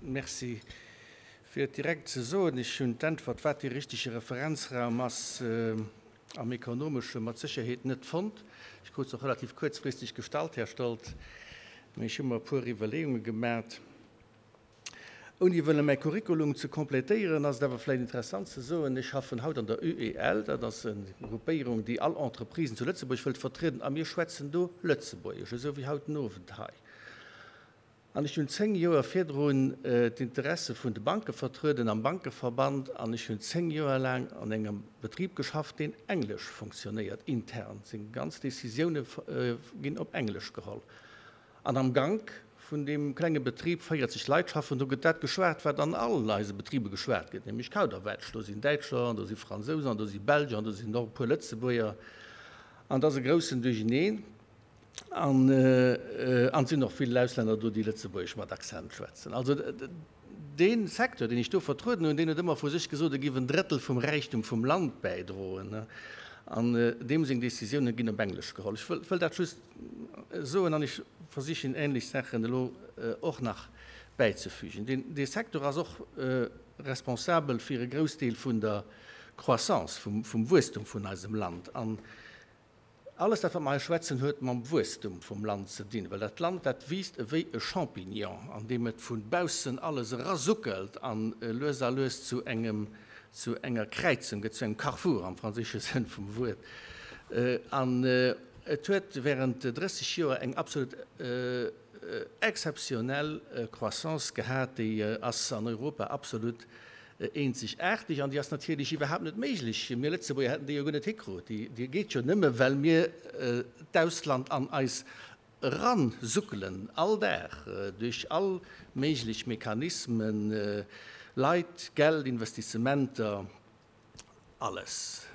Merci. Fir et direkt ze soen, ech hunn d'Äntwert, wat dee richtege Referenzraum ass am Ekonomesche mat Sécherheet net fonnt. Ech krut se och relativ kuerzfristeg gestallt, Här Stoltz, mee ech hu mer e puer Iwwerleeunge gemat. Ouni wëlle mäi Curriculum ze complétéieren, ass et awer vläicht interessant ze soen, ech schaffen haut an der UEL, dat ass e Gruppéierung, déi all Entreprisen zu Lëtzebuerg wëllt vertrieden, a mir schwätzen do Lëtzebuergesch, esou wéi haut den Owend hei. An ech hunn 10 Joer virdrun d'Interesse vun de Banke vertrueden am Bankeverband an ech hunn 10 Joer laang an engem Betrib geschafft, deen englesch fonctionnéiert, intern. Seng ganz Décisioune ginn op Englesch geholl. An am Gank vun deem klenge Betrib, 40 Leit schaffen do, gëtt dat geschwat, wat an all eise Betriber geschwat gëtt, nämlech Kauderwelsch. Do sinn Däitscher an do si Fransousen an do si Belger an do sinn och e puer Lëtzebuerger an et ass e groussen Duercheneen. An et sinn och vill Auslänner do, déi Lëtzebuergesch mat Accent schwätzen. Also dee Secteur, deen ech do vertrueden hunn, deen huet ëmmer vu sech gesot, e giff en Drëttel vum Räichtum vum Land bäidroen. An deem seng Décisiounen ginn op Englesch geholl. Ech wëll dat just soen an ech versichen ähnlech Saachen elo och nach bäizefügen. Dee Secteur ass och responsabel fir e Groussdeel vun der Croissance, vum Wuesstum vun eisem Land. An alles dat, wat mer hei schwätzen, huet mam Wuesstum vum Land ze dinn, well dat Land, dat wiisst ewéi e Champignon, an deem et vu baussen alles erasuckelt an lues a lues zu engem, zu enger Kräizung gëtt, zu engem Carrefour am franséische Sënn vum Wuert. An et huet während 30 Joer eng absolut exzeptionell Croissance gehat, déi ass an Europa absolut eenzegaarteg an déi ass natierlech iwwerhaapt net méiglech. Mir Lëtzebuerger hätten déi jo guer net hikrut. Déi geet jo nëmme well mir d'Ausland an eis eransuckelen, all Dag, duerch all méiglech Mechanismen, Leit, Geld, Investissementer, alles.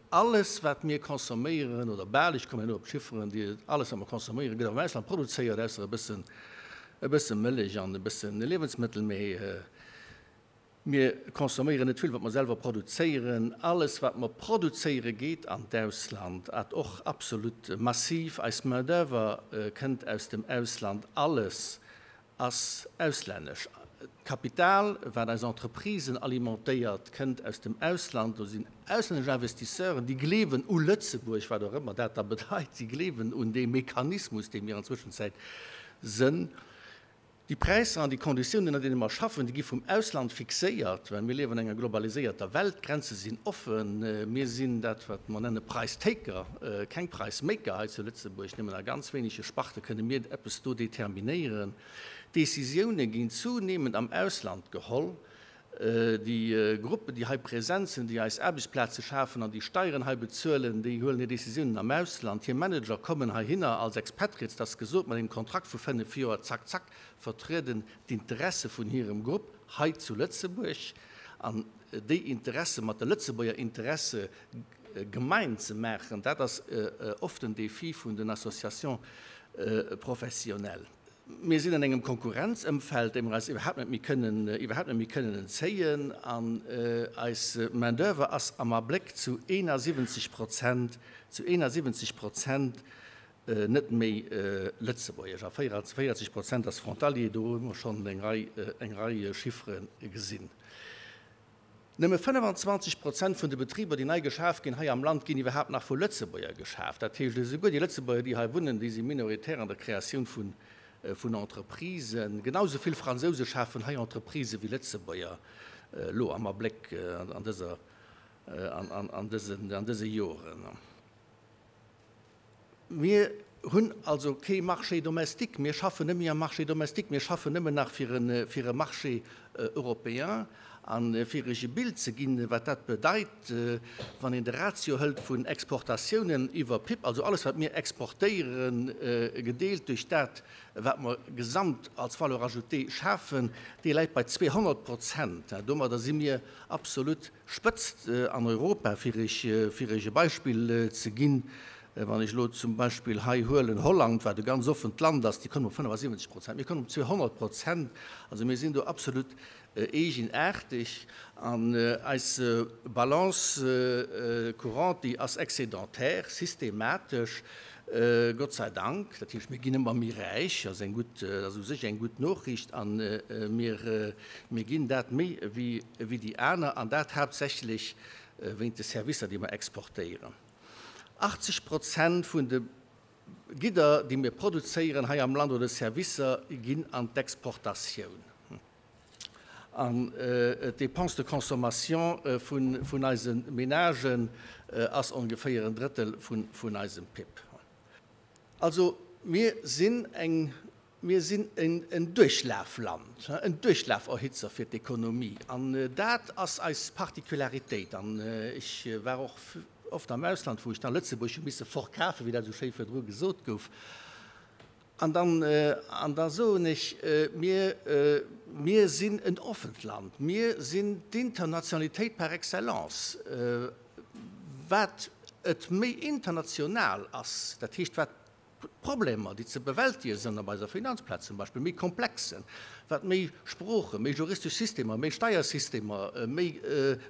Alles, wat mir consomméieren, oder bal, ech kommen herno op d'Chifferen, déi, alles, wat mer consomméieren, gëtt am Ausland produzéiert, ausser e bëssen, e bësse Mëllech an e bësse Liewensmëttel, mee Mir consomméieren net vill, wat mer selwer produzéieren. Alles, wat mer produzéieren, geet an d'Ausland, at och absolut massiv. Eis Main-d'oeuvre kënnt aus dem Ausland. Alles ass auslännesch. D'Kapital, wat eis Entreprisen alimentéiert, kënnt aus dem Ausland. Do sinn auslännesch Investisseuren, déi gleewen u Lëtzebuerg, wat och ëmmer dat da bedeit. Si gleewen un dee Mechanismus, dee mir an Zwëschenzäit sënn. Déi Präisser an déi Konditiounen, ënner deene mer schaffen, déi gi vum Ausland fixéiert, well mir liewen an enger globaliséierter Welt, d'Grenze sinn offen, mir sinn dat, wat mer nenne Price Taker, keng Price Maker hei zu Lëtzebuerg. Nëmmen a ganz wéinege Sparte kënne mir eppes do determinéieren. D'Décisioune ginn zunehmend am Ausland geholl. Déi Gruppen, déi hei present sinn, déi eis Aarbechtsplaze schafen an déi Steieren hei bezuelen, déi huelen hir Décisiounen am Ausland. Hir Manager kommen heihinner als Expatriates, dat ass gesot, mat engem Kontrakt vu 5 Joer, zack, zack, vertrieden d'Interesse vun hirem Grupp hei zu Lëtzebuerg. An déi Interesse mat de Lëtzebuerger Interesse gemein ze maachen, dat ass oft den Défi vun den Associations professionnelles. Mir sinn an engem Konkurrenzëmfeld, deem mer eis iwwerhaapt net méi kënnen, iwwerhaapt net méi kënnen entzéien. An eis Main-d'oeuvre ass am Abléck zu 71 Prozent, zu 71 Prozent net méi lëtzebuergesch. A 44 Prozent ass frontalier. Do hu mer schonn eng Rei, eng Rei Chiffere gesinn. Nëmme 25 Prozent vun de Betriber, déi nei geschaf ginn hei am Land, ginn iwwerhaapt nach vu Lëtzebuerger geschaf. Dat heescht, esouguer déi Lëtzebuerger, déi hei wunnen, déi si minoritär an der Kreatioun vun Entreprisen. Genau esou vill Fransouse schafen hei Entreprisë wéi Lëtzebuerger elo am Abléck an dëser, an dëse Joren. Mir hunn also kee Marché domestique, mir schaffen net méi am Marché domestique, mir schaffen nëmmen nach fir e Marché européen. A fir Iech e Bild ze ginn, wat dat bedeit, wann een de Ratio hëlt vun Exportatiounen iwwer PIB, also alles wat mir exportéieren, gedeelt duerch dat wat mer gesamt als Valeur ajoutée schafen, dee läit bei 200 Prozent. Domadder si mir absolut Spëtzt an Europa, fir Iech, fir Iech e Beispill ze ginn, wann ech elo zum Beispill hei huelen Holland, wat e ganz offent Land ass, déi kommen op 75 Prozent, mir kommen op 200 Prozent. Also mir sinn do absolut eegenaarteg. An eis Balance courante, déi ass excédentaire, systematesch. Gott sei Dank. Dat heescht, mir ginn ëmmer méi räich, dat ass eng gutt, dat ass u sech eng gutt Nochricht, a mir, mir ginn dat méi wéi, wéi déi aner, an dat haaptsächlech wéint de Servicer, déi mer exportéieren. 80 Prozent vun de Gidder, déi mir produzéieren hei am Land, oder Servicer, ginn an d'Exportatioun. An d'Dépense de consommation vun eise Menagen ass ongeféier en Drëttel vun eisem PIB. Also mir sinn eng, mir sinn en Duerchlafland, en Duerchlaferhitzer fir d'Ekonomie. An dat ass eis Particularitéit. An ech war och oft am Ausland, wou ech dann Lëtzebuerg hu misse verkafen, wéi dat esou schéi virdru gesot gouf. An dann, an da soen ech, mir, mir sinn en offent Land, mir sinn d'Internationalitéit par excellence. Wat et méi international ass, dat heescht wat d'Problemer, déi ze bewältige sinn op eiser Finanzplaz zum Beispill, méi komplex sinn, wat méi Sproochen, méi juristesch Systemer, méi Steiersystemer, méi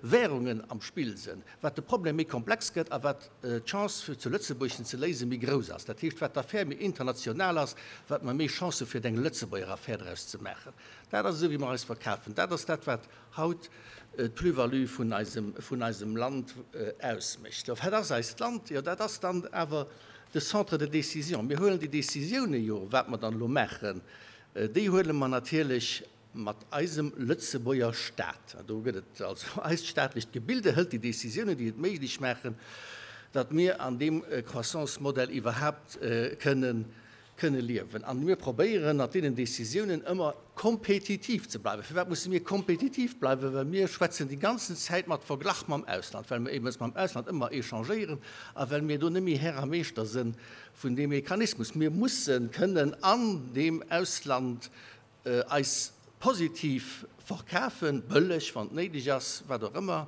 Währungen am Spill sinn, wat de Problem méi komplex gëtt a wat d'Chance fir zu Lëtzebuerg en ze léisen méi grouss ass. Dat heescht, wat d'Affär méi international ass, wat mer méi Chancë fir eng Lëtzebuerger Affär draus ze maachen. Dat ass esou wéi mer eis verkafen. Dat ass dat wat haut d'Plus-value vun eisem, vun eisem Land ausmécht. Lo wat ass eist Land? Jo dat ass dann awer de Centre de décision. Mir huelen déi Décisioune jo, wat mer dann elo maachen, déi huele mer natierlech Mat eisem Lëtzebuerger Staat, do gëtt et also eist staatlecht Gebilde, hëlt déi Décisiounen, déi et méiglech maachen, datt mir an deem Croissance-Modell iwwerhaapt kënnen kënne liewen. A mir probéieren, mat deenen Décisiounen ëmmer kompetitiv ze bleiwen. Firwat musse mir kompetitiv bleiwen? Well mir schwätzen déi ganzen Zäit mat Verglach mam Ausland, well mir eben mam Ausland ëmmer échangéieren a well mir do net méi Här a Meeschter sënn vun deem Mechanismus. Mir mussen kënnen an deem Ausland eis positiv verkafen, bëlleg, wann et néideg ass, wat och ëmmer,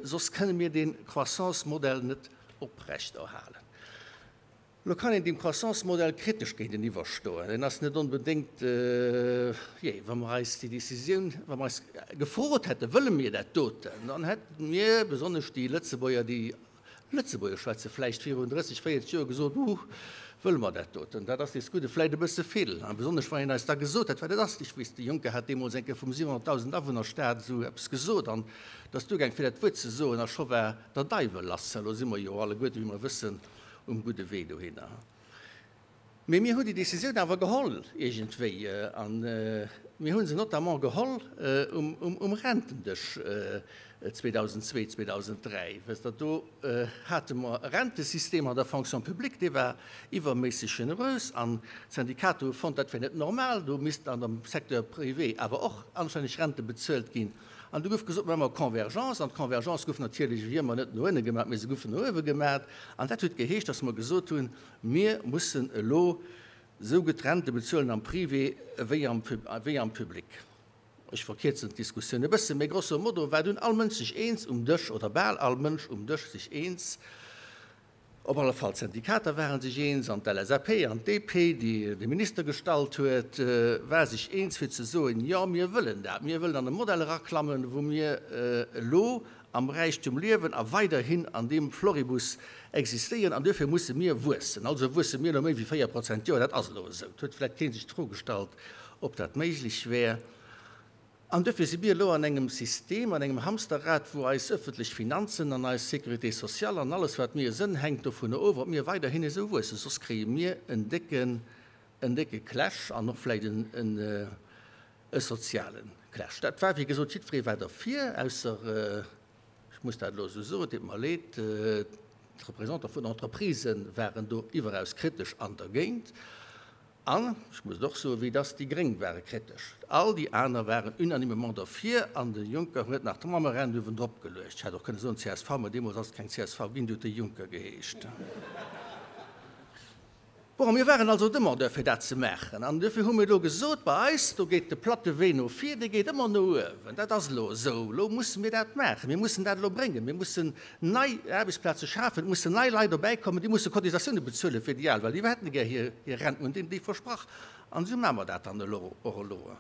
soss kënne mir dee Croissance-Modell net oprechterhalen. Elo kann een deem Croissance-Modell kritesch géinteniwwer stoen. En ass net onbedéngt, jee, wa mer eis déi Décisioun, wa mer eis gefrot hätten, wëlle mir dat doten, dann hätte mir, besonnesch déi Lëtzebuerger, déi Lëtzebuergesch schwätze vläicht virun 30, 40 Joer gesot, Huh, wëlle mer dat doten? Dat ass dees Gudde vläicht e bësse vill. A besonnesch wann een eis da gesot hätt, wat et ass. Ech weess, de Juncker hat deemools eng Kéier vum 700.000 Awunnerstaat esou eppes gesot an et ass duergaang fir dat Wuert ze soen a scho war der Deiwel lass. Elo si mer jo alleguerte, wéi mer wëssen, um gudde Wee dohinner. Mee mir hunn déi Décisioun awer geholl iergendwéi a mir hu se notamment geholl um Rentendësch 2002, 2003. Wësst Der, do hate mer e Rentesystem an der Fonction publique, dee war iwwerméisseg generös an d'Syndikater hu fonnt, dat wär net normal, do misst an dem Secteur privé awer och anstänneg Rente bezuelt ginn. An du gouf gesot, maache mer Convergence. An d'Convergence gouf natierlech wéi ëmmer net no ënne gemaach, mee se goufen no uewe gemaach. An dat huet geheescht, datt mer gesot hunn, Mir mussen elo esou gutt Rente bezuelen am Privé wéi am Public. Ech verkierzen d'Diskussioun e bëssen, mee grosso modo war dunn all Mënsch sech eens um Dësch, oder bal all Mënsch um Dësch sech eens, op alle Fall d'Syndikater ware sech eens an d'LSAP an d'DP, déi de Minister gestallt huet, war sech eens fir ze soen, jo mir wëllen dat, mir wëllen an e Modell eraklammen, wou mir elo am Räichtum liewen a weiderhin an deem Floribus existéieren an duerfir musse mir wuessen. Also wuesse mir elo méi wéi 4 Prozent d'Joer, dat ass elo esou. Et huet vläicht kee sech d'Fro gestallt, ob dat méiglech wär. An duerfir si mir elo an engem System, an engem Hamsterrad, wou eis öffentlech Finanzen an eis Sécurité sociale an alles wat mir sënn, hänkt dovunner of, ob mir weiderhin esou wuessen. Soss kréie mir en décken, en décke Clash an och vläicht en, E soziale Clash. Dat war, wéi gesot, jiddweree war derfir, ausser, ech muss dat elo esou soen, et deet mer leed, d'Representantë vun Entreprisë waren do iwweraus kritesch an dergéint. An, ech muss et och soen, wéi et ass, déi Gréng ware kritesch. All déi aner waren unanimement derfir an de Juncker huet nach d'Mammerent uewendrop geluecht. Ech hätt och kënne soen csv, mä deemools ass et keng csv ginn, déi huet de Juncker geheescht. Bon, mir waren also Demandeur fir dat ze maachen an duerfir hu mir elo gesot, bei eis, do geet de platte Wee no vir, dee geet ëmmer no uewen. Dat ass elo esou. Elo musse mir dat maachen. Mir mussen dat elo bréngen. Mir mussen nei Aarbechtsplaze schafen. Et mussen nei Leit dobäikommen. Déi musse Cotisatioune bezuele fir déi al, well déi hätte gär hir Rent. Mir hunn deenen déi versprach an esou maache mer dat dann elo och elo.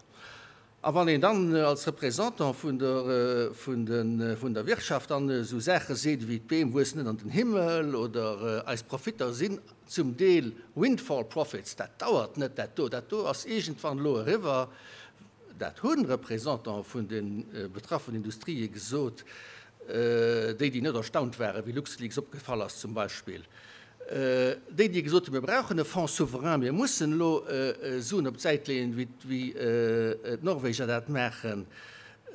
A wann een dann als Représentant vun der, vun de, vun der Wirtschaft dann esou Saache seet ewéi d'Beem wuessen net an den Himmel oder eis Profitter sinn zum Deel windfall profits, dat dauert net, dat do, dat do ass iergendwann elo eriwwer, dat hu Représentantë vun de betraffenen Industrië gesot, déi, déi net erstaunt waren, wéi LuxLeaks opgefall ass zum Beispill. Déi, déi gesot hunn, mir brauchen e Fonds souverain, mir mussen elo Suen op d'Säit leeën, wéi d'Norweger dat maachen,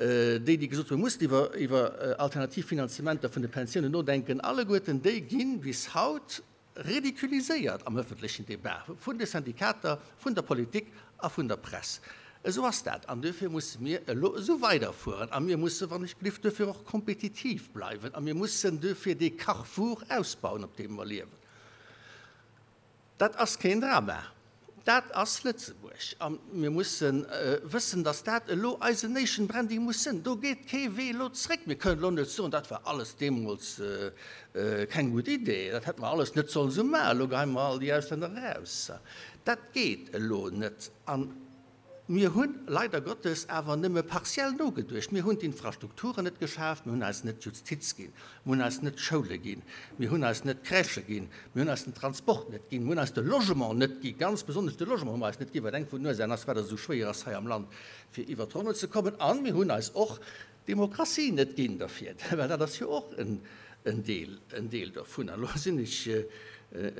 déi, déi gesot hunn, mir mussen iwwer alternativ Finanzementer vun de Pensiounen nodenken, alleguerten déi gi bis haut ridiculiséiert am öffentlechen Débat vun de Syndikater, vun der Politik a vun der Press. Esou ass dat an duerfir musse mir elo esou weiderfueren a mir musse wann ech glift duerfir och kompetitiv bleiwen a mir mussen duerfir dee Carrefour ausbauen, op deem mer liewen. Dat ass keen Drama, dat ass Lëtzebuerg a mir musse wëssen, datt dat elo eisen Nation Branding muss sinn. Do geet kee Wee elo zréck. Mir kënnen elo net soen, dat war alles deemools keng gutt Idee, dat hätte mer alles net sollen esou maachen, elo geheie mer all déi Auslänner eraus. Dat geet elo net. A mir hu leider Gottes awer nëmme partiell nogeduecht. Mir hunn d'Infrastrukturen net geschaaft, mir hunn eis net d'Justiz ginn, mir hunn eis net d'Schoule ginn, mir hunn eis net d'Crèchë ginn, mir hunn eis den Transport net ginn, mir hunn eis de Logement net ginn, ganz besonnesch de Logement hu mer eis net ginn, wat eng vun den Ursachen ass, firwat et esou schwéier ass hei am Land fir iwwert d'Ronne ze kommen. A mir hunn eis och Demokratie net ginn derfir, well dat ass jo och en Deel, en Deel dovun. An elo sinn ech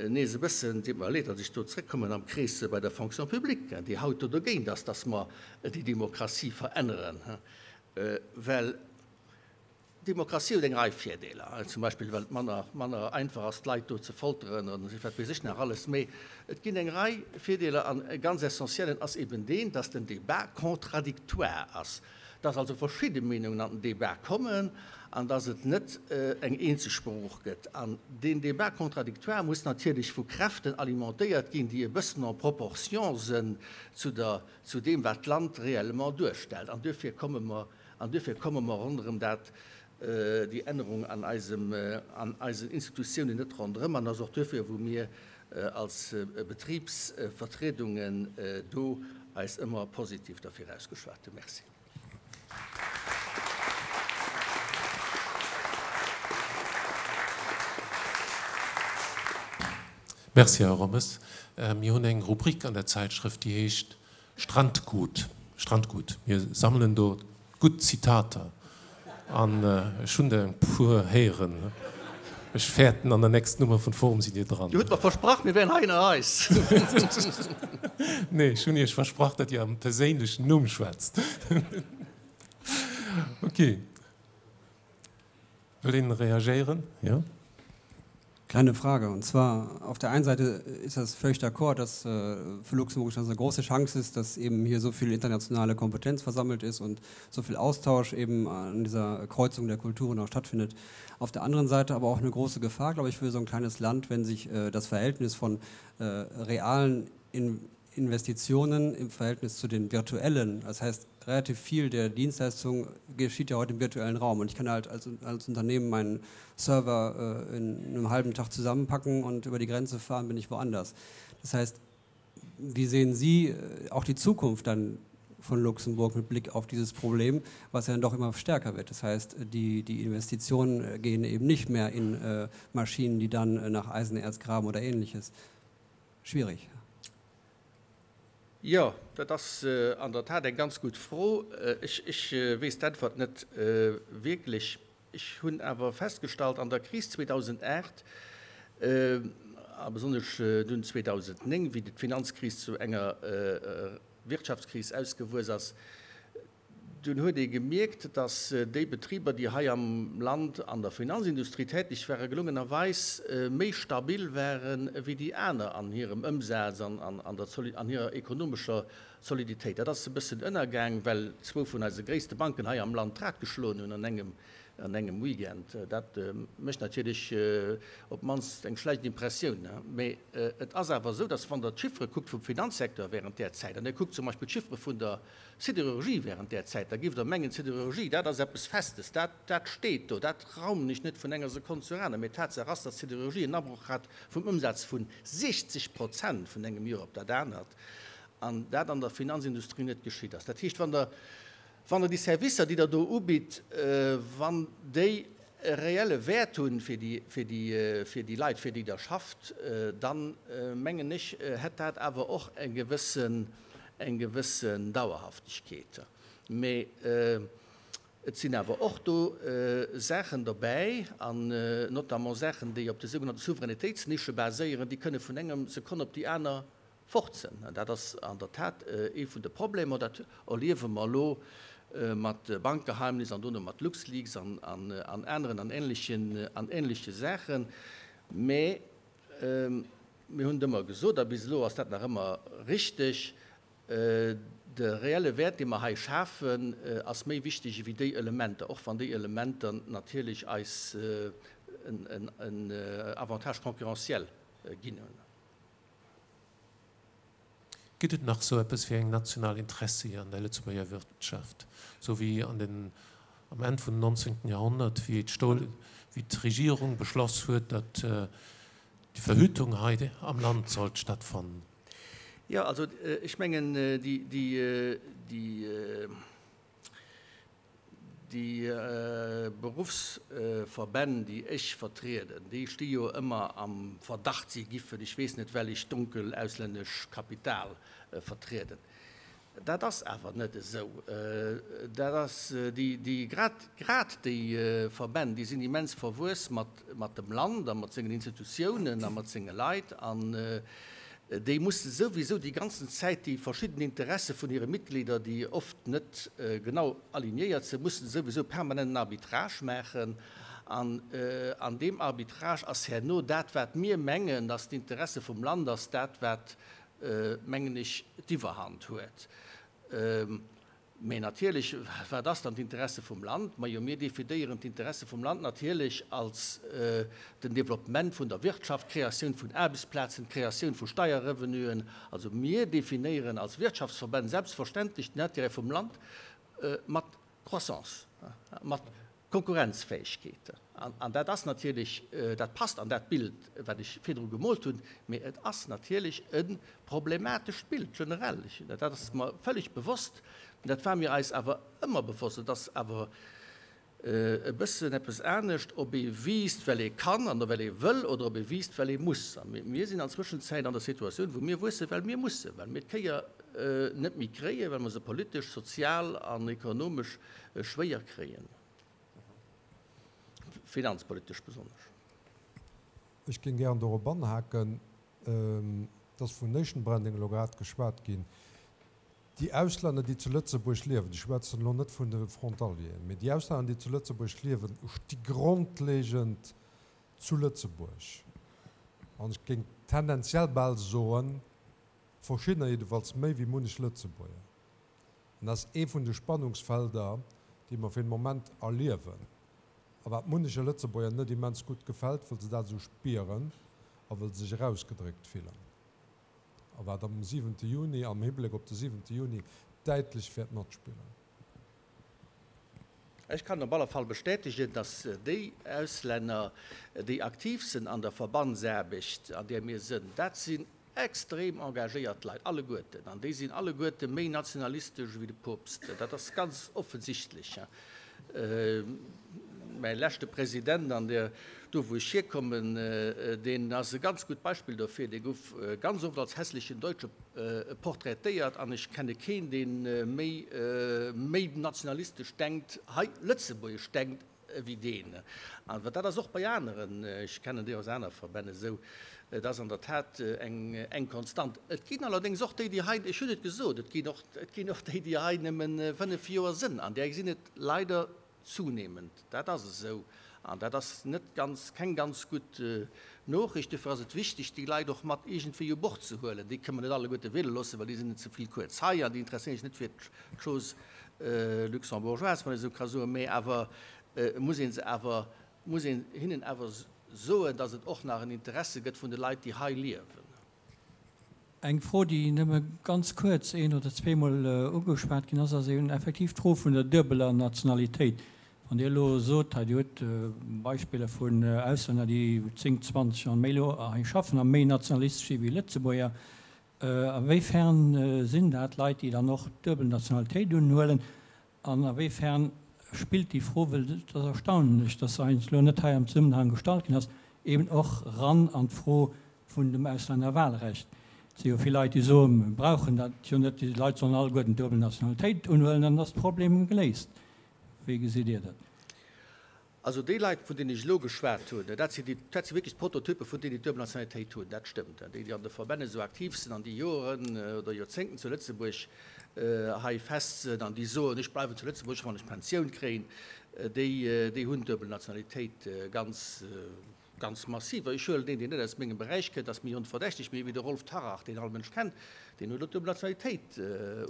nees e bëssen, deet mer leed, datt ech do zrëckkommen, am Krees bei der Fonction publique, déi haut do dogéint ass, datt mer déi Demokratie veränneren, well d'Demokratie huet eng Rei Virdeeler, zum Beispill well et manner, manner einfach ass, d'Leit do ze folteren an wat weess ech nach alles. Mee et ginn eng Rei Virdeeler an e ganz essentiellen ass eben deen, datt den Débat contradictoire ass. dass also verschidde Meenungen an den Débat kommen an dass et net eng eenzeg Sprooch gëtt. An deen Débat contradictoire muss natierlech vu Kräften alimentéiert ginn, déi e bëssen en proportion sënn zu der, zu deem, wat d'Land réellement duerstellt. An duerfir komme mer, an duerfir komme mer ronderëm dat, déi Ännerung an eisem, an eisen Institutiounen net ronderëm. An ass och duerfir, wou mir als Betribsvertriedungen do eis ëmmer positiv derfir ausgeschwat hunn. Merci. Merci, Här Rommes. Mir hunn eng Rubrik an der Zäitschrëft, déi heescht Strandgut, Strandgut. Mir sammelen do gutt Zitater an ech hunn der e puer héieren. Ech fäerten, an der nächsten Nummer vun Forum sidd Dir dran. Dir hutt mer versprach, mir wären hei ënner eis. Nee, ech hunn Iech versprach, datt Dir am perséinlechen Numm schwätzt. Ok. Wëll een reagéieren? Jo. Kleine Frage, und zwar, auf der einen Seite ist das völlig d'accord, dass äh, für Luxemburg das eine große Chance ist, dass eben hier so viel internationale Kompetenz versammelt ist und so viel Austausch eben an dieser Kreuzung der Kulturen auch stattfindet. Auf der anderen Seite aber auch eine große Gefahr, glaube ich, für so ein kleines Land, wenn sich äh, das Verhältnis von äh, realen in Investitionen im Verhältnis zu den virtuellen, das heißt relativ viel der Dienstleistung geschieht ja heute im virtuellen Raum und ich kann halt als, als Unternehmen meinen Server äh, in einem halben Tag zusammenpacken und über die Grenze fahren, bin ich woanders. Das heißt, wie sehen Sie äh, auch die Zukunft dann von Luxemburg mit Blick auf dieses Problem, was ja dann doch immer stärker wird? Das heißt, die, die Investitionen äh, gehen eben nicht mehr in äh, Maschinen, die dann äh, nach Eisenerz graben oder ähnliches. Schwierig. Jo, dat ass an der Tat eng ganz gutt Fro. Ech weess d'Äntwert net wierklech. Ech hunn awer festgestallt, an der Kris 2008 a besonnesch dunn 2009, wéi d'Finanzkris zu enger Wirtschaftskris ausgewuess ass, Dunn huet ee gemierkt, datt déi Betriber, déi hei am Land an der Finanzindustrie täteg waren, gelungenerweis méi stabil waren ewéi déi aner an hirem Ëmsaz an an hirer ekonomescher Soliditéit. Dat ass e bëssen ënnergaang, well zwou vun eise gréisste Banken hei am Land d'Rad geschloen hunn an engem an engem Weekend. Dat mécht natierlech op d'mannst eng schlecht Impressioun. Mee et ass awer esou, datt wann Der d'Chiffere kuckt vum Finanzsecteur während där Zäit, an Dir kuckt zum Beispill d'Chiffere vun der Siderurgie während där Zäit, da giff Der mengen, d'Siderurgie, dat ass eppes Festes, dat, dat steet do, dat raumen ech net vun enger Sekonn zur aner. Mee Tatsaach ass, datt d'Siderurgie en Abroch hat vum Ëmsaz vu 60 Prozent vun engem Joer op dat anert. An dat an der Finanzindustrie net geschitt ass. Dat heescht, wann Der, wann Der déi Servicer, déi Der do ubitt, wann déi e reelle Wäert hunn fir déi, fir déi, fir déi Leit, fir déi Der schafft, dann, mengen ech, hätt dat awer och eng gewëssen, eng gewëssen Dauerhaftegkeet. Mee et sinn awer och do Saachen dobäi, an notamment Saachen, déi op de sougenannte Souveränitéitsnische baséieren, déi kënne vun engem Sekonn op déi aner fort sinn. An dat ass an der Tat ee vun de Problemer. Dat erliewe mer elo mat Bankgeheimnis an dono mat LuxLeaks an aneren an ähnleche Saachen. Mä mir hunn et ëmmer gesot, a bis elo ass dat nach ëmmer richteg, De reelle Wäert, dee mer hei schafen, ass méi wichteg ewéi déi Elementer, och wann déi Elementer natierlech eis en Avantage concurrentiel ginn hunn. Gëtt et nach sou eppes wéi eng national Interessi an der Lëtzebuerger Wirtschaft, sou wéi an den, am Enn vun 19. Jahrhundert, wéi d'Stol, wéi d'Regierung beschloss huet, datt déi Verhütung hei am Land sollt stattfannen? Jo, also ech mengen, déi, déi, déi. Déi Beruffsverbänn, déi ech vertrieden, déi sti jo ëmmer am Verdacht, si giffen, ech weess net welch donkel auslännesch Kapital vertrieden. Dat ass awer net esou. Dat ass déi, déi, grad, grad déi Verbänn, déi sinn immens verwuess mat, mat dem Land a mat sengen Institutiounen a mat senge Leit an déi musse souwisou déi ganzen Zäit déi verschidden Interesse vun hire Mitglieder, déi oft net genau alignéiert sinn, musse souwisou permanent en Arbitrage maachen. An an deem Arbitrage ass herno dat, wat mir mengen, dass d'Interesse vum Land ass, dat wat, mengen ech, d'Iwwerhand huet. Mä natierlech, wat ass dann d'Interesse vum Land? Majo, mir definéieren d'Interesse vum Land natierlech als den Développement vun der Wirtschaft, d'Kreatioun vun Aarbechtsplazen, d'Kreatioun vu Steierrevenuen. Also mir definéieren als Wirtschaftsverbänn selbstverständlech den Intérêt vum Land mat Croissance, mat Konkurrenzfäegkeet. An dat ass natierlech, dat passt an dat Bild, wat ech virdru gemoolt hunn, mee et ass natierlech e problematescht Bild generell. Dat ass mer völlig bewosst. Dat war mir eis awer ëmmer bewosst. Et ass awer e bëssen eppes anescht, ob ee wiisst, well ee kann an well ee wëll, oder ob ee wiisst, well ee muss. A mir sinn an Zwëschenzäit an der Situatioun, wou mir wuessen, well mir mussen, well mir d'Kéier net méi kréien, well mer se politesch, sozial an ekonomesch schwéier kréien, finanzpolitesch besonnesch. Ech géing gären dorop anhaken, et ass vun Nation Branding elo grad geschwat ginn. Déi Auslänner, déi zu Lëtzebuerg liewen, ech schwätzen elo net vun de Frontalieren, mee déi Auslänner, déi zu Lëtzebuerg liewen, sti grondlegend zu Lëtzebuerg an ech géing tendenziell bal soen, verschiddener jiddefalls méi wéi munnech Lëtzebuerger. An dat ass ee vun de Spannungsfelder, déi mer fir den Moment erliewen a wat munneche Lëtzebuerger net immens gutt gefält, wëll se dat esou spieren a wëll se sech erausgedréckt fillen. A wat am siwente Juni, am Hibléck op de siwente Juni däitlech wäert matspillen. Ech kann op alle Fall bestätegen, dass déi Auslänner, déi aktiv sinn an der Verbandsaarbecht, an där mir sënn, dat sinn extrem engagéiert Leit, alleguerten. An déi sinn alleguerte méi nationalistesch ewéi de Poopst. Dat ass ganz offensichtlech. Mäi leschte President an der, do wou ech hierkommen, deen ass e ganz gutt Beispill dofir. Dee gouf ganz oft als hässlichen Deutsche portraitéiert an ech kenne keen, dee méi, méi nationalistesch denkt, hei lëtzebuergesch denkt, ewéi deen. An dat ass och bei aneren, ech kennen déi aus aner Verbänn esou, et ass an der Tat eng Konstant. Et ginn allerdéngs och déi, déi hei, ech hunn et gesot, et ginn och, et ginn och déi, déi hei nëmme 5 Joer sënn, an där sinn et leider zunehmend. Dat ass esou an dat ass net ganz, keng ganz gutt Noochricht. Dofir ass et wichteg, déi Leit och mat iergendwéi u Bord ze huelen. Déi kënne mer net alleguerte wiele loossen, well déi sinn net ze vill kuerz hei an déi interesséieren sech net fir d'Chose luxembourgeoise, wann ee esou ka soen, mä awer muss ee se awer, muss een hinnen awer soen, datt et och nach en Interesse gëtt vun de Leit, déi hei liewen. Eng Fro, déi nëmme ganz kuerz een oder zweemol ugeschwat ginn ass, ass eben effektiv d'Fro vun der duebeler Nationalitéit. Wann Dir elo sot, hei Dir hutt Beispiller vun Auslänner, déi 10, 20 an méi elo hei schaffen a méi nationalistesch si wéi Lëtzebuerger. A wéi fern sinn dat Leit, déi dann och d'duebel Nationalitéit unhuelen? An a wéi fern spillt déi Fro, well et ass erstaunlech, dass se eigentlech elo net hei am Zesummenhang gestallt ginn ass, eben och ran an d'Fro vun dem Auslännerwahlrecht. Et si jo vill Leit, déi soen, mir brauchen dat jo net, déi Leit sollen alleguerten d'duebel Nationalitéit unhuelen, dann ass de Problem geléist. Wéi gesitt Dir dat? Also déi Leit, vun deenen ech elo geschwat hunn, dat sinn déi, dat si wierklech d'Prototyppe vun deenen, déi d'duebel Nationalitéit hunn, dat stëmmt. Déi, déi an de Verbänn esou aktiv sinn an déi Joren oder Joerzéngten zu Lëtzebuerg hei fest sinn an déi soen, ech bleiwen zu Lëtzebuerg, wann ech d'Pensioun kréien, déi, déi hunn d'duebel Nationalitéit ganz, ganz massiv. Ech huelen deen, deen net aus mengem Beräich kënnt, ass mir onverdächteg, mee wéi de Rolf Tarrach, deen all Mënsch kennt, deen huet elo d'duebel Nationalitéit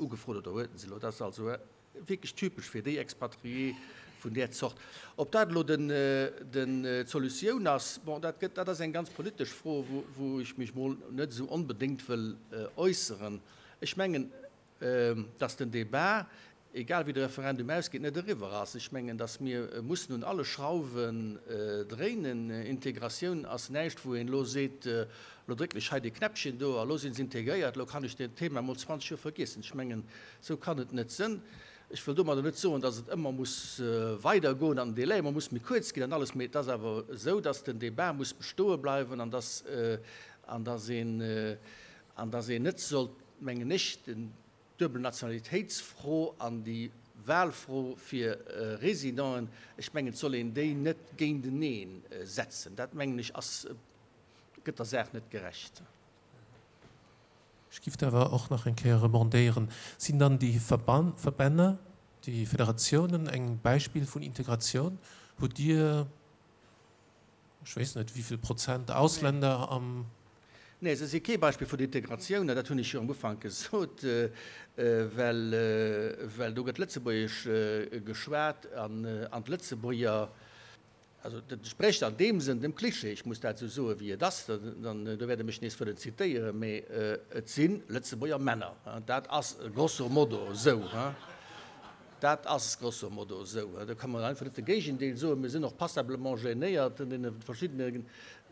ugefrot oder huet se elo. Dat ass also Wierklech typesch fir déi Expatrié vun där Zort. Ob dat elo den, den, d'Solutioun ass, bon, dat gëtt, dat ass eng ganz politesch Fro, wou, wou ech mech mol net esou onbedéngt wëll äusseren. Ech mengen, dass den Débat, egal wéi de Referendum ausgeet, net eriwwer ass. Ech mengen, dass mir mussen un alle Schrauwen dréinen. Integratioun ass näischt, wou een elo seet, elo drécken ech hei dee Knäppchen do a lo si se integréiert, elo kann ech deen Thema mol 20 Joer vergiessen. Ech mengen, Sou kann et net sënn. Ech wëll domadder net soen, dass et ëmmer muss weidergoen an den Délai ëmmer muss méi kuerz ginn an alles, mee et ass awer esou, dass den Débat muss bestoe bleiwen an dass, an dass een, an dass een net sollt, mengen ech, den d'duebel Nationalitéitsfro an déi Wahlfro fir Résidenten, ech mengen, et soll een déi net géintenee setzen. Dat, mengen ech, ass, gëtt der Saach net gerecht. Ech giff awer och nach eng Kéier rebondéieren. Sinn dann déi Verbänne, déi Federatiounen eng Beispill vun Integratioun? Hutt Dir, ech weess net, wéivill Prozent Ausländer am. Nee, se si kee Beispill vun Integratioun, dat hunn ech jo am Ufank gesot, well, well do gëtt Lëtzebuergesch geschwat an d'Lëtzebuerger, Also dat entsprécht an deem Sënn dem Klischee, ech muss dat esou soen, wéi et ass, dann do wäert Der mech nees wëllen zitéieren, mee et si Lëtzebuerger Männer. Dat ass grosso modo esou. Dat ass grosso modo esou. Do ka mer einfach net de Géigendeel soen. Mir sinn och passablement gênéiert an deene verschiddene,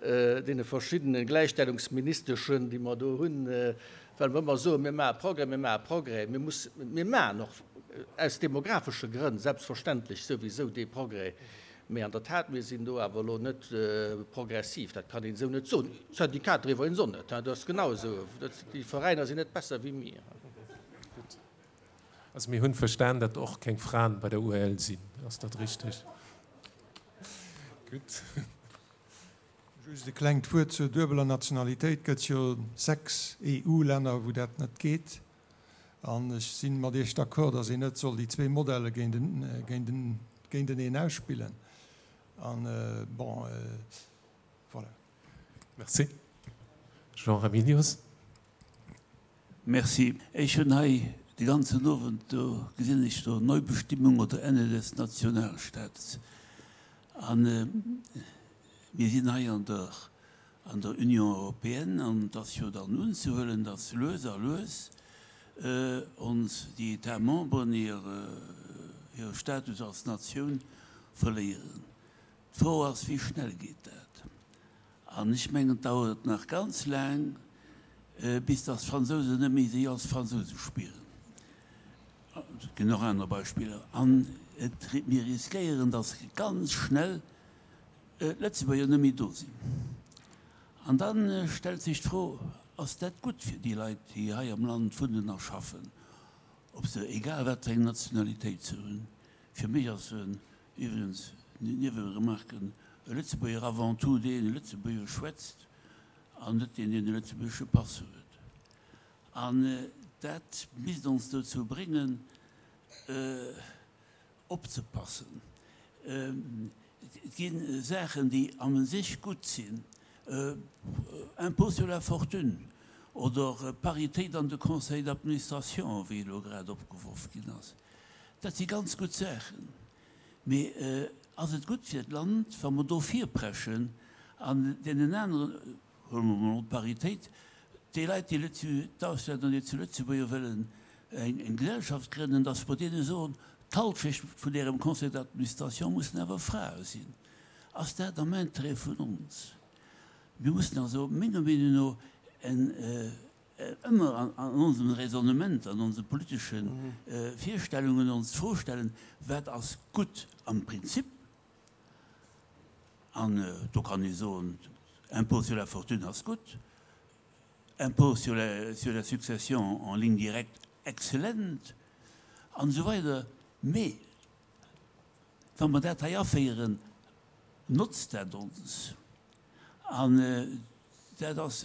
deene verschiddene Gläichstellungsministeschen, déi mer do hunn, well mer ëmmer soen, mir maache Progrès, mir maache Progrès. Mir mussen, mir maachen och aus demographesche Grënn selbstverständlech souwisou dee Progrès. Mee an der Tat, mir sinn do awer elo net progressiv, dat kann een esou net soen. D'Syndikater iwwregens och net, dat ass genau esou. Déi Veräiner sinn net besser wéi mir. Gutt. Also mir hunn verstan, datt och keng Fraen bei der UEL sinn. Ass dat richteg? Gutt. Just e klengt Wuert zur duebeler Nationalitéit. Gëtt jo 6 EU-Länner, wou dat net geet. An ech si mat Iech d'accord, datt een net soll déi zwee Modelle géinteneen ausspillen. An, bon, voilà. Merci. Jean Raminius. Merci. Ech hunn hei de ganzen Owend, do gesinn ech do Neubestimmung oder Ende des Nationalstaats. A mir sinn hei an der an der Union européenne, an et ass jo dann unzehuelen, datt lues a lues ons déi États membres hire Status als Natioun verléieren. D'Fro ass, wéi schnell geet dat? An ech mengen, et dauert nach ganz laang, bis datt d'Fransousen net méi sech als Fransouse spieren. Et ginn och aner Beispiller. An et, mir riskéieren, datt ganz schnell d'Lëtzebuerger net méi do sinn. An da stellt sech d'Fro, Ass dat gutt fir déi Leit, déi hei am Land wunnen a schaffen, ob se, egal wat fir eng Nationalitéit se hunn? Fir mech ass en, iwwregens, Nieweremarque, e Lëtzebuerger avant tout deen Lëtzebuergesch schwätzt an net deen, deen e lëtzebuergesche Pass huet. An dat misst ons dozou bréngen, Opzepassen. Et gi Saachen, déi a sech gutt sinn, Impôt sur la fortune oder Paritéit an de Conseils d'administration, wéi elo grad opgeworf ginn ass. Dat si ganz gutt Saachen. Mee ass et gutt fir d'Land, wa mer do virpreschen an deenen aneren, Huele mer emol d'Paritéit, déi Leit, déi d'Auslänner, déi zu Lëtzebuerg wëllen eng Gesellschaft grënnen, datt mer deene soen, d'Halschecht vun ärem Conseil d'administration mussen awer Frae sinn. Ass dat am Intérêt vun ons? Mir mussen also menger Meenung no en. ëmmer an onsem Raisonnement, an onse politesche Virstellungen ons d'Fro stellen, Wat ass gutt am Prinzip? An do kann ee soen, Impôt sur la fortune ass gutt, Impôt sur la sur la succession en ligne directe excellent, an esou weider. Mee wa mer dat hei aféieren, notzt dat ons? An dat ass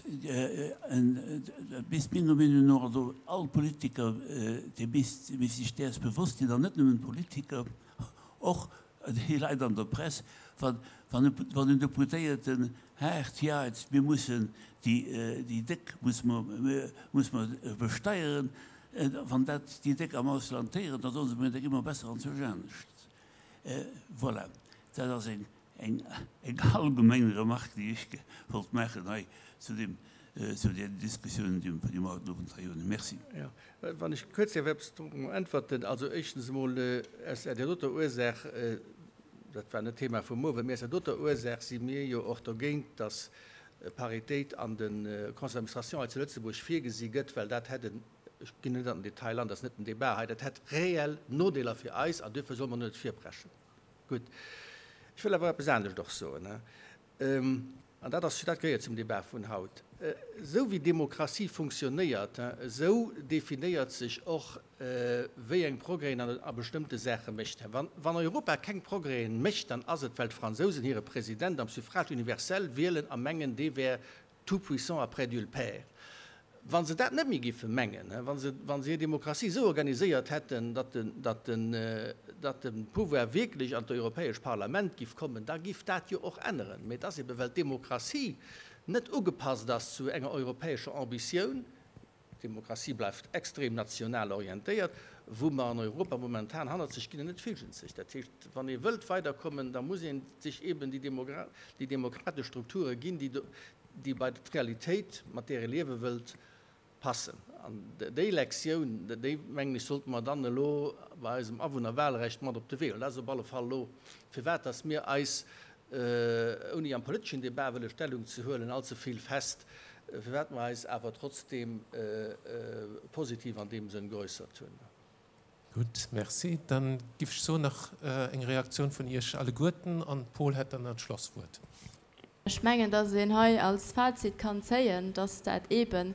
en, dat misst menger Meenung no, also all Politiker, dee misst misst sech däers bewosst sinn, an net nëmmen d'Politiker, och déi Leit an der Press, wann wann en Deputéierten haart jait, mir mussen déi déi Déck musse mer musse mer besteieren, wann dat déi Déck am Ausland héieren, da soe se, mir, da gi mer besser anzwousch anescht. Voilà, dat ass eng Eng allgemeng Remarque, déi ech wollt maachen hei zu deem, zu där Diskussioun, déi mer haut den Owend hei hunn. Merci. Jo, wann ech kuerz däerf eppes drop äntwerten. Also éischtens emol aus där doter Ursaach, dat war net d'Thema vum Owend, mee aus där doter Ursaach si mir jo och dogéint, dass Paritéit an de Conseils d'administration hei zu Lëtzebuerg virgesi gëtt, well dat hätt en, ech ginn net an den Detail an, dat ass net den Débat hei, dat hätt reell Nodeeler fir eis an duerfir solle mer net virpreschen. Gutt. Ech wëll awer eppes anescht och soen, an dat ass, dat gehéiert zum Débat vun haut. Esou wéi Demokratie funktionéiert, esou definéiert sech och, wéi eng Progrèsen an a bestëmmte Saache mécht. Wann Europa keng Progrèsen mécht, dann ass et, well d'Fransousen hire President am Suffrage universel wielen a mengen, dee wär Tout-puissant après Dieu le Père. Wa se dat net méi géife mengen, wa se, wa se hir Demokratie esou organiséiert hätten, datt den, datt den, datt de Pouvoir wierklech an d'Europäesch Parlament giff kommen, da giff dat jo och änneren. Mee et ass ebe well d'Demokratie net ugepasst ass zu enger europäescher Ambitioun, D'Demokratie bleift extrem national orientéiert, wou mer an Europa momentan hannert sech ginn an net fügen sech. Dat heescht, wann ee wëllt weiderkommen, da muss ee sech eben déi demokratesch Strukture ginn, déi bei d'Realitéit, mat där ee liewe wëllt, passen. An déi Lektioun, déi, mengen ech, sollte mer dann elo bei eisem Awunnerwahlrecht mat op de Wee huelen. Dat ass op alle Fall elo, firwat dass mir eis ouni am politeschen Debat wëlle Stellung ze huelen, allze vill fest, firwat mer eis awer trotzdeem positiv an deem Sënn geäussert hunn. Gutt, merci. Dann giff ech soen, nach eng Reaktioun vun Iech alleguerten an d'Paul hätt dann nach d'Schlosswuert. Ech mengen, dass een hei als Fazit kann zéien, dass dat eeben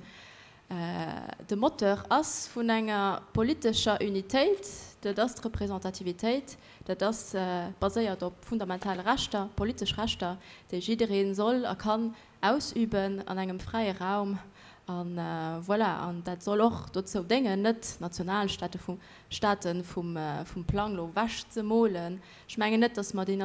de Moteur ass vun enger politescher Unitéit, dat ass d'Representativitéit, dat ass baséiert op fundamentale Rechter, politesch Rechter, déi jidderee soll a kann ausüben an engem fräie Raum. A voilà, an dat soll och dozou déngen, net Nationalstate vum Staate vum Plang elo ewechzemolen. Ech mengen net, datt mer déi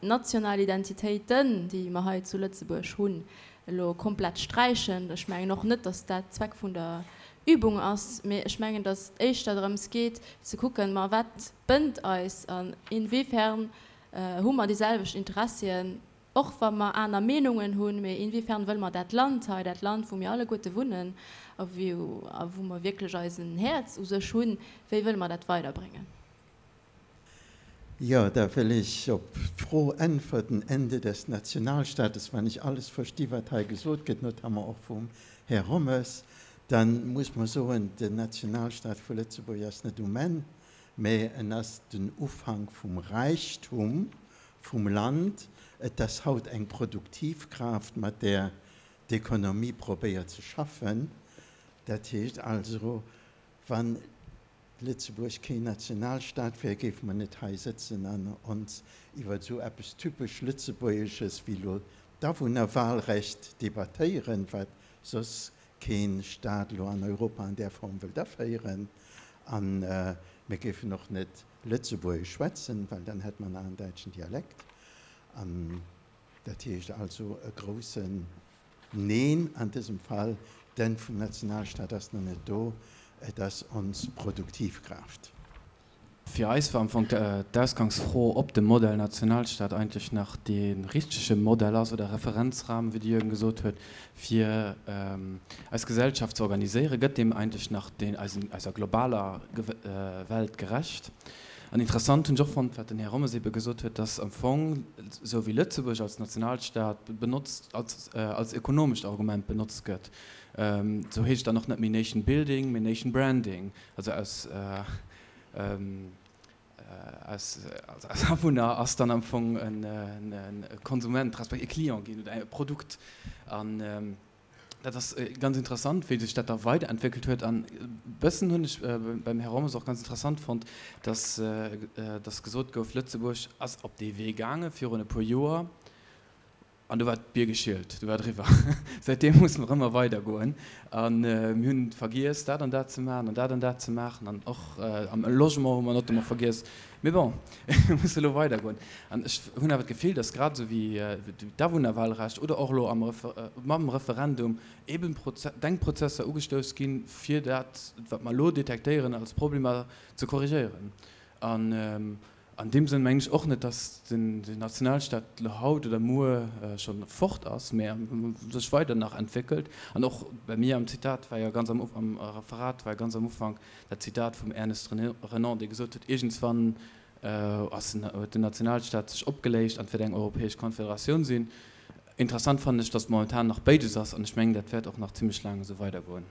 national Identitéiten, déi mer hei zu Lëtzebuerg hunn, elo komplett sträichen. Ech mengen och net, datt dat Zweck vun der Übung ass, mee ech mengen, datt et éischter drëms geet ze kucken, ma wat bënnt eis an inwiefern hu mer déi selwecht Interessien, och wa mer aner Meenungen hunn, mee inwiefern wëlle mer dat Land hei, dat Land, wou mir alleguerte wunnen a wou mer wierklech eisen Häerz u sech hunn, wéi wëlle mer dat weiderbréngen? Jo, da wëll ech op d'Fro äntwerten, Ende des Nationalstaates, wann ech alles versti wat hei gesot gëtt, notamment och vum Här Rommes, da muss mer soen, den Nationalstaat vu Lëtzebuerg ass net um Enn, mä en ass den Ufank vum Räichtum vum Land. Et ass haut eng Produktivkraaft, mat där d'Ekonomie probéiert ze schaffen. Dat heescht also, wann Lëtzebuerg keen Nationalstaat wär, géife mer net hei sëtzen an ons iwwer esou eppes typesch Lëtzebuergesches wéi elo d'Awunnerwahlrecht debattéieren, wat soss kee Staat elo an Europa an där Form wëllt aféieren. A mir géifen och net Lëtzebuergesch schwätzen, well dann hätt mer nach en däitschen Dialekt. An dat heescht also e groussen Neen, an dësem Fall, d'Enn vum Nationalstaat ass nach net do, et ass ons Produktivkraaft. Fir eis war am Fong d'Ausgangsfro, ob de Modell Nationalstaat eigentlech nach dee richtege Modell ass oder Referenzrahmen, wéi de Jürgen gesot huet, fir eis Gesellschaft ze organiséieren. Gëtt deem eigentlech nach deen eisen, eiser globaler Welt gerecht? An interessant hunn ech och fonnt, wat den Här Rommes ebe gesot huet, dass am Fong, esou wéi Lëtzebuerg als Nationalstaat benotzt, als, als ökonomescht Argument benotzt gëtt. Sou heescht et dann och net méi Nation Building, mee Nation Branding, also aus aus aus Awunner ass dann am Fong e Konsument respektiv e Client ginn oder e Produkt. An dat ass ganz interessant, wéi sech dat da weiderentwéckelt huet. An e bëssen hunn ech beim Här Rommes och ganz interessant fonnt, dass dass gesot gouf, Lëtzebuerg ass op dee Wee gaange virun e puer Joer, An do war d'Bier geschielt, do war et eriwwer. Säitdeem musse mer ëmmer weidergoen. A mir hunn vergiess, dat an dat ze maachen an dat an dat ze maachen. An och am Logement hu mer notamment vergiess. Mee bon, mir musse elo weidergoen. An ech hunn awer d'Gefill, datt grad esou wéi d'Awunnerwahlrecht oder och elo am mam Referendum eeben Denkprozesser ugestouss ginn, fir dat, wat mer elo detektéieren als Problemer, ze korrigéieren. An An deem Sënn mengen ech och net, datt den Nationalstaat elo haut oder muer scho fort ass, mä sech weider nach entwéckelt. An och bei mir am Zitat war jo ganz am am Referat war jo ganz am Ufank dat Zitat vum Ernest Renan, dee gesot huet, iergendswann ass den huet den Nationalstaat sech opgeléicht an et wäert eng europäesch Konfederatioun sinn. Interessant fannen ech, datt momentan nach béides ass an ech mengen, dat wäert och nach zimlech laang esou weidergoen.